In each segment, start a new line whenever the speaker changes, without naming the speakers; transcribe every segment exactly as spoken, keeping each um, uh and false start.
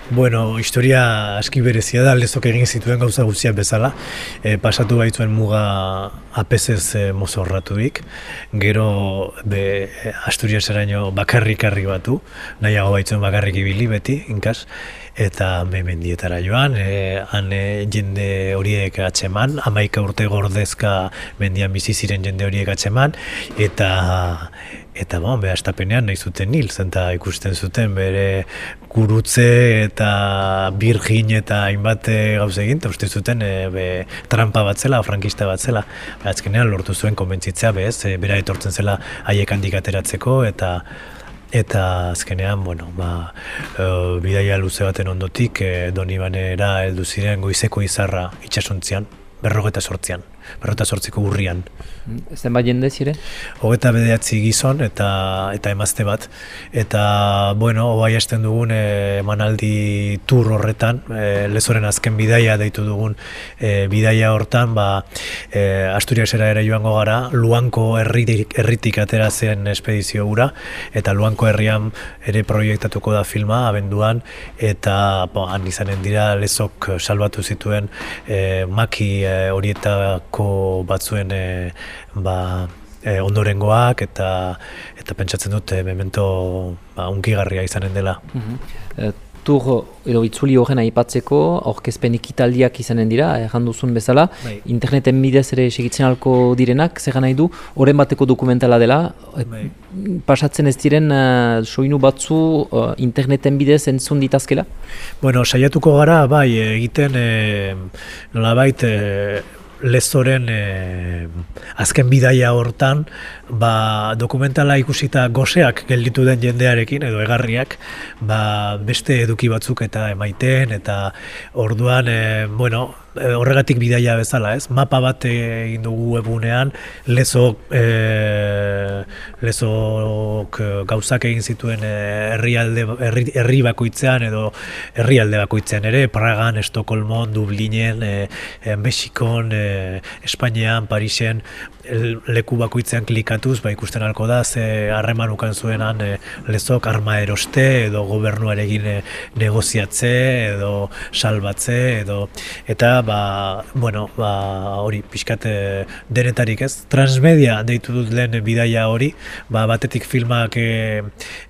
Bueno, historia aski berezia da, Lezok egin zituen gauza guztiak bezala. E, pasatu baitzuen muga apezez e, mozorratuik, gero be, Asturiaseraino bakarrik harri batu, nahiago baitzuen bakarrik ibili beti, inkas, eta me mendietara joan, e, han e, jende horiek atxeman, hamaika urte gordezka mendian bizi ziren jende horiek atxeman, eta Eta bon, be, astapenean nahi zuten hil, zenta ikusten zuten bere gurutze eta birgin eta hainbat gauza egin, eta uste zuten e, be, trampa bat zela, frankista bat zela. Be, azkenean lortu zuen konbentzitzea, bez, e, bera etortzen zela haiek handik ateratzeko, eta eta azkenean, bueno, ba, e, bidaia luze baten ondotik, e, Donibanera heldu ziren goizeko izarra itsasontzian, berrogeta sortzian, berrogeta sortziko urrian.
Zenbat jende ziren?
Hogeta bederatzi gizon eta eta emazte bat. Eta, bueno, obai hasten dugun e, emanaldi tur horretan, e, Lezoren azken bidaia deitu dugun e, bidaia hortan, ba, e, Asturiasera ere joango gara, Luanko herritik, herritik atera zen espedizio hura, eta Luanko herrian ere proiektatuko da filma, abenduan, eta bo, han izanen dira Lezok salbatu zituen e, maki e, horietako batzuen e, ba, e, ondorengoak eta eta pentsatzen dut e, memento ba, unkigarria izanen dela.
Uh-huh. Tur edo itzuli horren aipatzeko aurkezpen ekitaldiak izanen dira, erran duzun bezala, bai. Interneten bidez ere segitzen alko direnak, zer nahi du, horren bateko dokumentala dela, bai. Pasatzen ez diren uh, soinu batzu uh, interneten bidez entzun ditazkela?
Bueno, saiatuko gara, bai, egiten e, nolabait e, Lezoren e, azken bidaia hortan, ba, dokumentala ikusita goseak gelditu den jendearekin edo egarriak, ba, beste eduki batzuk eta emaiten, eta orduan, e, bueno, horregatik bidaia bezala, ez? Mapa bat egin dugu egunean, Lezok, e, Lezok gauzak egin zituen herrialde, herri, herri bakoitzean edo herrialde bakoitzean ere, Pragan, Estokolmon, Dublinen, e, e, Mexikon, e, Espainian, Parisen, leku bakoitzean klikatuz, ba, ikusten halko da, ze harreman ukan zuenan e, Lezok arma eroste edo gobernuarekin e, negoziatze edo salbatze edo eta ba, bueno, ba, hori pixkat e, denetarik ez. Transmedia deitu dut lehen bidaia hori, ba, batetik filmak e,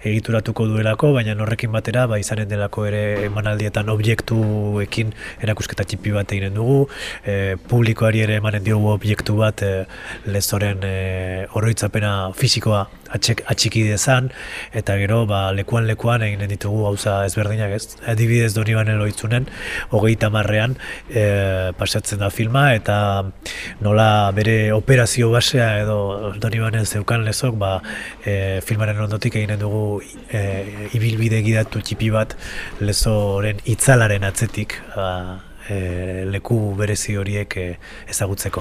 egituratuko duelako, baina horrekin batera ba, izanen delako ere emanaldietan objektuekin erakusketa txipi bat eginen dugu, e, publikoari ere emanen diogu objektu bat e, Lezoren e, oroitzapena fisikoa atxek, atxiki dezan, eta gero ba, lekuan lekuan eginen ditugu gauza ezberdinak ez. Adibidez Donibanen loitzunen, hogeita hamarrean e, pasatzen da filma, eta nola bere operazio basea edo Donibanen zeukan Lezok, ba, e, filmaren ondotik eginen dugu e, ibilbide gidatu txipi bat Lezoren itzalaren atzetik, ba, e, leku berezi horiek e, ezagutzeko.